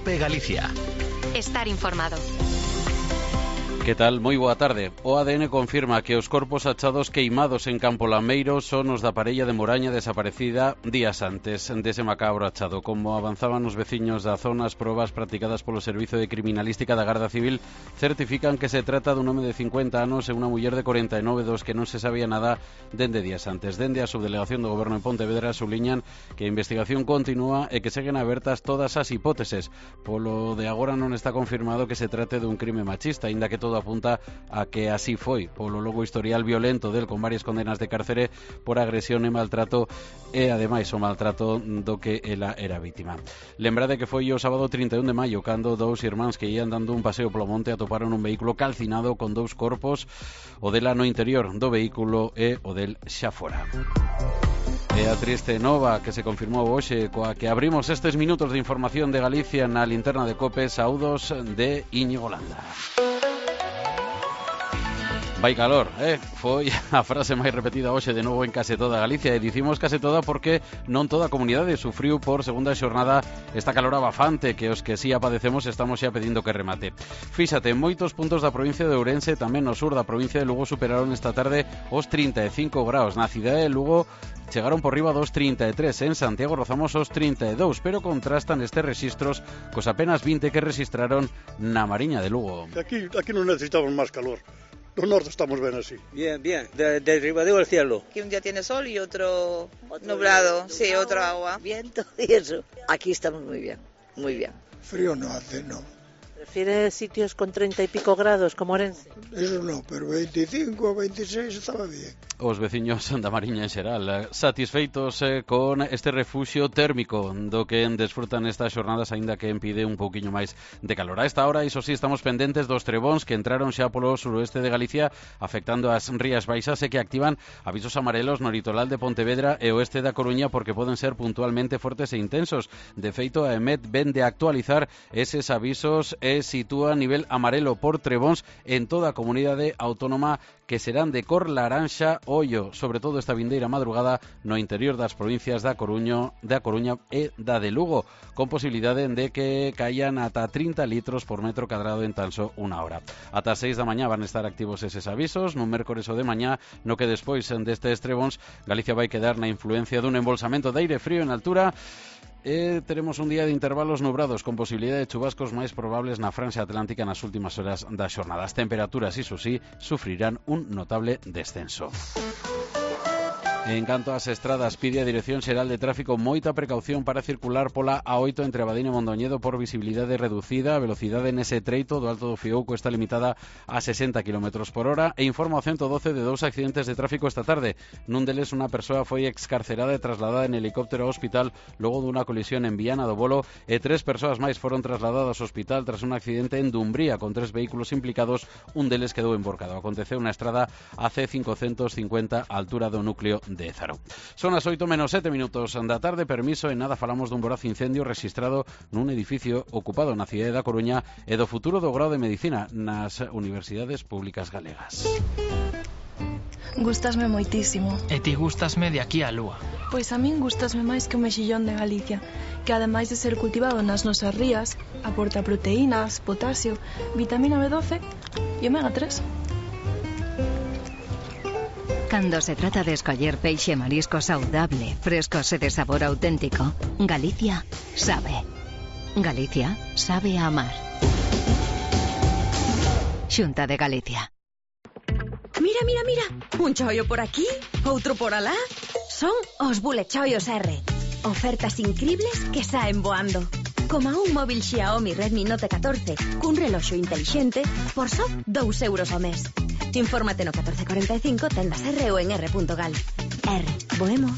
COPE Galicia. Estar informado. Que tal? Moi boa tarde. O ADN confirma que os corpos achados queimados en Campo Lameiro son os da parella de Moraña desaparecida días antes dese macabro achado. Como avanzaban os veciños da zona, as probas practicadas polo Servizo de Criminalística da Garda Civil certifican que se trata dun home de 50 anos e unha muller de 49 dos que non se sabía nada dende días antes. Dende a Subdelegación do Goberno en Pontevedra subliñan que a investigación continúa e que seguen abertas todas as hipóteses. Polo de agora non está confirmado que se trate dun crime machista, aínda que todo apunta a que así foi, polo longo historial violento del con varias condenas de cárcere por agresión e maltrato e ademais o maltrato do que ela era vítima. Lembrade que foi o sábado 31 de maio cando dous irmáns que ían dando un paseo polo monte atoparon un vehículo calcinado con dous corpos, o dela no interior do vehículo e o del xa fora. E a triste nova que se confirmou hoxe coa que abrimos estes minutos de información de Galicia na linterna de COPE. Saúdos de Íñigo Landa. Vai calor, foi a frase máis repetida hoxe de novo en case toda Galicia, e dicimos case toda porque non toda a comunidade sufriu por segunda xornada esta calor abafante que os que si a padecemos estamos xa pedindo que remate. Fíxate, en moitos puntos da provincia de Ourense, tamén no sur da provincia de Lugo, superaron esta tarde os 35 graus. Na cidade de Lugo chegaron por riba dos 33, en Santiago rozamos os 32, pero contrastan estes rexistros cos apenas 20 que registraron na Mariña de Lugo. Aquí non necesitamos máis calor. No norte estamos ben así. Bien, de Ribadeo al cielo. Que un día tiene sol y otro nublado, sí, otro agua. Viento y eso. Aquí estamos muy bien, muy bien. Frío no hace, no. ¿Prefiere sitios con 30 y pico grados como Orense? Eso no, pero 25 o 26 estaba bien. Os veciños da Mariña en xeral satisfeitos con este refuxio térmico do que desfrutan estas xornadas, aínda que impide un pouquiño máis de calor. A esta hora, iso sí, estamos pendentes dos trebóns que entraron xa polo suroeste de Galicia afectando as Rías Baixas e que activan avisos amarelos no litoral de Pontevedra e oeste da Coruña porque poden ser puntualmente fortes e intensos. De feito, a EMET ven de actualizar eses avisos e sitúa nivel amarelo por trebóns en toda a comunidade autónoma, que serán de cor laranxa ollo, sobre todo esta vindeira madrugada no interior das provincias da Coruña e da de Lugo, con posibilidade de que caian ata 30 litros por metro cadrado en tan só unha hora. Ata 6 da mañá van estar activos eses avisos, nun mércores o de mañá, no que despois destes trebóns Galicia vai quedar na influencia dun embolsamento de aire frío en altura. Teremos un día de intervalos nubrados con posibilidade de chubascos máis probables na franxa atlántica nas últimas horas da xornada. As temperaturas, iso sí, sufrirán un notable descenso. En canto ás estradas, pide a Dirección Xeral de Tráfico moita precaución para circular pola A8 entre Abadín e Mondoñedo por visibilidade reducida. A velocidade nese treito do Alto do Fiouco está limitada a 60 km por hora e informa o 112 de dous accidentes de tráfico esta tarde. Nun deles, unha persoa foi excarcerada e trasladada en helicóptero ao hospital logo dunha colisión en Viana do Bolo e 3 persoas máis foron trasladadas ao hospital tras un accidente en Dumbría con 3 vehículos implicados, un deles quedou emborcado. Aconteceu na estrada AC550 á altura do núcleo de Zaro. Son as 8:07 da tarde. Permiso, en nada falamos dun voraz incendio rexistrado nun edificio ocupado na cidade da Coruña e do futuro do grao de Medicina nas universidades públicas galegas. Gústasme moitísimo. E ti gústasme de aquí á lúa. Pois a min gústasme máis que o mexillón de Galicia, que ademais de ser cultivado nas nosas rías, aporta proteínas, potasio, vitamina B12 e omega 3. Cando se trata de escoller peixe e marisco saudable, frescos e de sabor auténtico, Galicia sabe. Galicia sabe a amar. Xunta de Galicia. Mira, un choio por aquí, outro por alá. Son os Bullet Choios R. Ofertas incribles que saen voando. Como un móvil Xiaomi Redmi Note 14 cun reloxo intelixente por só 2 euros ao mes. Infórmate no 1445, tendas R ou en r.gal. R, boemo.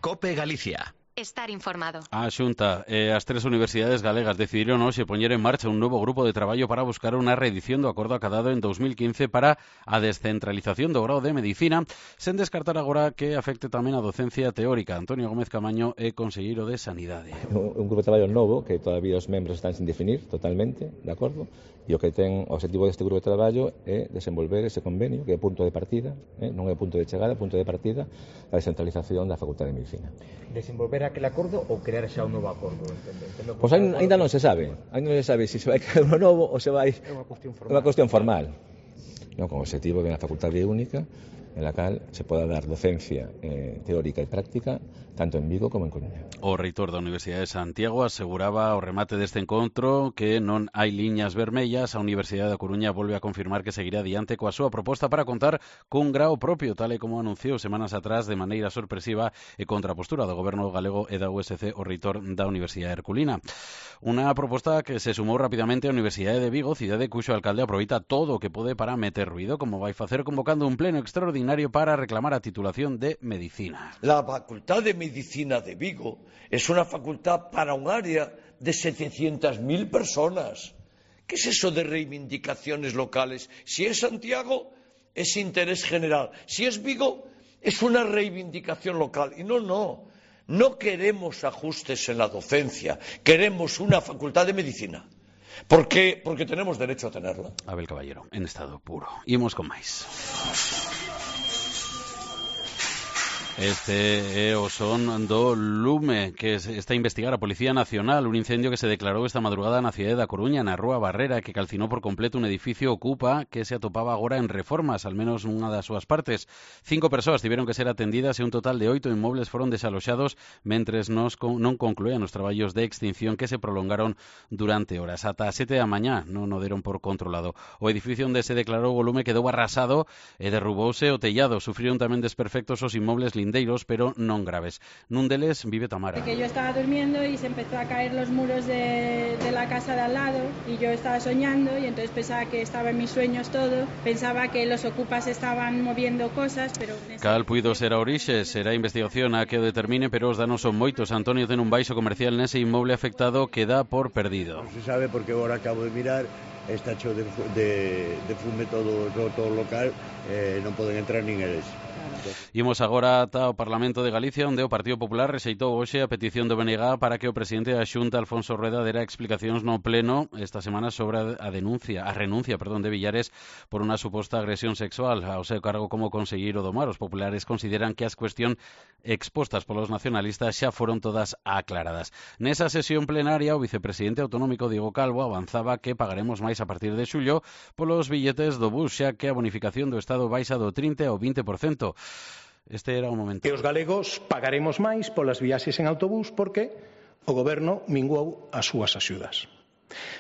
COPE Galicia. Estar informado. A Xunta e as 3 universidades galegas decidiron hoxe poñer en marcha un novo grupo de traballo para buscar unha reedición do acordo acadado en 2015 para a descentralización do grao de Medicina, sen descartar agora que afecte tamén a docencia teórica. Antonio Gómez Camaño é conselleiro de Sanidade. Un grupo de traballo novo que todavía os membros están sin definir totalmente, de acordo? E o que ten o objetivo deste grupo de traballo é desenvolver ese convenio que é punto de partida, non é punto de chegada, punto de partida, a descentralización da Facultade de Medicina. Desenvolver aquel acordo ou crear xa un novo acordo? Pois ainda non se sabe. Ainda non se sabe se vai crear uno novo ou se vai... É unha cuestión formal. É unha cuestión formal. Non, con o objetivo de unha facultade única en la cal se poda dar docencia teórica e práctica tanto en Vigo como en Coruña. O reitor da Universidade de Santiago aseguraba ao remate deste encontro que non hai liñas vermellas. A Universidade da Coruña volve a confirmar que seguirá adiante coa súa proposta para contar cun grao propio, tal e como anunciou semanas atrás de maneira sorpresiva e contra a postura do goberno galego e da USC o reitor da Universidade Herculina. Unha proposta que se sumou rapidamente á Universidade de Vigo, cidade cuxo alcalde aproveita todo o que pode para meter ruido, como vai facer convocando un pleno extraordinario para reclamar a titulación de Medicina. La Facultad de Medicina de Vigo es una facultad para un área de 700.000 personas. ¿Qué es eso de reivindicaciones locales? Si es Santiago, es interés general. Si es Vigo, es una reivindicación local. Y no queremos ajustes en la docencia, queremos una facultad de medicina. ¿Por qué? Porque tenemos derecho a tenerla. Abel Caballero, en estado puro. Imos con máis. Este é o son do lume que está a investigar a Policía Nacional, un incendio que se declarou esta madrugada na cidade da Coruña, na Rúa Barrera, que calcinou por completo un edificio Ocupa que se atopaba agora en reformas, al menos nunha das súas partes. 5 persoas tiveron que ser atendidas e un total de 8 inmobles foron desaloxados mentres non concluían os traballos de extinción que se prolongaron durante horas. Ata 7 da mañá non o deron por controlado. O edificio onde se declarou o lume quedou arrasado e derrubouse o tellado. Sufriron tamén desperfectos os inmobles pero non graves. Nun deles vive Tamara. Que yo estaba durmiendo y se empezó a caer los muros de la casa de al lado y yo estaba soñando y entonces pensaba que estaba en mis sueños todo, pensaba que los ocupas estaban moviendo cosas, pero... Cal puido ser a orixe, será investigación a que o determine, pero os danos son moitos. Antonio ten un baixo comercial nese inmoble afectado que dá por perdido. Non se sabe porque agora acabo de mirar, está hecho de fume todo o local, non poden entrar nin eles. Imos agora ata o Parlamento de Galicia, onde o Partido Popular rexeitou hoxe a petición do BNG para que o presidente da Xunta, Alfonso Rueda, dera explicacións no pleno esta semana sobre a renuncia de Villares por unha suposta agresión sexual ao seu cargo como conselleiro do Mar. Os populares consideran que as cuestións expostas polos nacionalistas xa foron todas aclaradas. Nesa sesión plenaria, o vicepresidente autonómico Diego Calvo avanzaba que pagaremos máis a partir de xullo polos billetes do bus, xa que a bonificación do Estado baixa do 30% ao 20%. Este era o momento. E os galegos pagaremos máis polas viaxes en autobús porque o goberno minguou as súas axudas.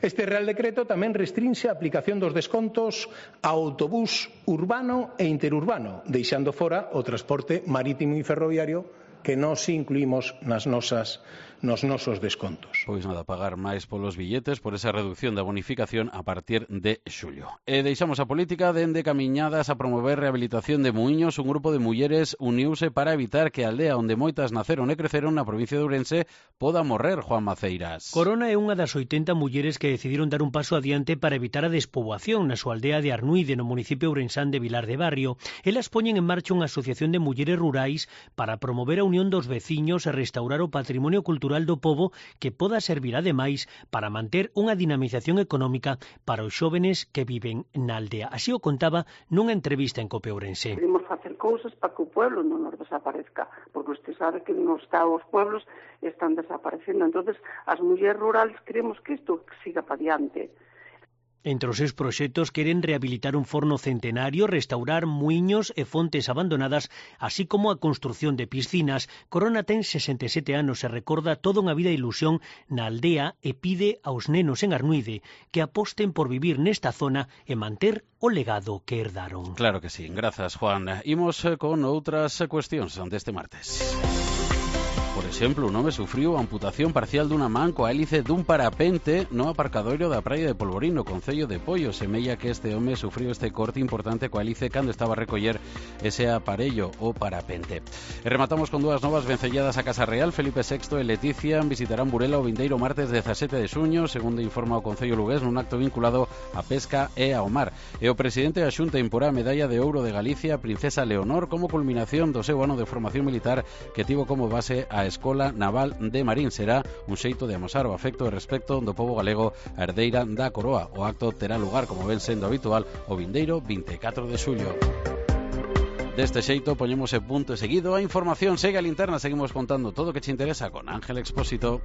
Este Real Decreto tamén restrinxe a aplicación dos descontos ao autobús urbano e interurbano, deixando fora o transporte marítimo e ferroviario que nós incluímos nos nosos descontos. Pois nada, pagar máis polos billetes por esa reducción da bonificación a partir de xullo. E deixamos a política dende camiñadas a promover rehabilitación de muiños. Un grupo de mulleres uniuse para evitar que a aldea onde moitas naceron e creceron na provincia de Ourense poda morrer. Juan Maceiras. Corona é unha das 80 mulleres que decidiron dar un paso adiante para evitar a despoboación na súa aldea de Arnuide, no municipio ourensán de Vilar de Barrio. Elas poñen en marcha unha asociación de mulleres rurais para promover a unión dos veciños e restaurar o patrimonio cultural do pobo que poda servir ademais para manter unha dinamización económica para os xóvenes que viven na aldea. Así o contaba nunha entrevista en Cope Ourense. Queremos facer cousas para que o pueblo non nos desaparezca, porque usted sabe que nos está os pueblos están desaparecendo. Entonces, as mulleres rurales queremos que isto siga para diante. Entre os seus proxectos queren rehabilitar un forno centenario, restaurar muiños e fontes abandonadas, así como a construción de piscinas. Corona ten 67 anos e recorda toda unha vida de ilusión na aldea e pide aos nenos en Arnuide que aposten por vivir nesta zona e manter o legado que herdaron. Claro que sí, grazas Juan. Imos con outras cuestións deste martes. Por exemplo, un home sufriu a amputación parcial dunha man coa hélice dun parapente no aparcadoiro da praia de Polvorín, no concello de Poio. Semella que este home sufriu este corte importante coa hélice cando estaba a recoller ese aparello, o parapente. E rematamos con dúas novas vencelladas a Casa Real. Felipe VI e Leticia visitarán Burela o vindeiro martes 17 de xuño, segundo informa o concello lugués, nun acto vinculado á pesca e ao mar. E o presidente da Xunta imporá a medalla de ouro de Galicia a Princesa Leonor como culminación do seu ano de formación militar que tivo como base a Escola Naval de Marín. Será un xeito de amosar o afecto e respecto do pobo galego a herdeira da coroa. O acto terá lugar, como ven sendo habitual, o vindeiro 24 de xullo. Deste xeito poñemos e punto e seguido a información segue a linterna, seguimos contando todo o que te interesa con Ángel Expósito.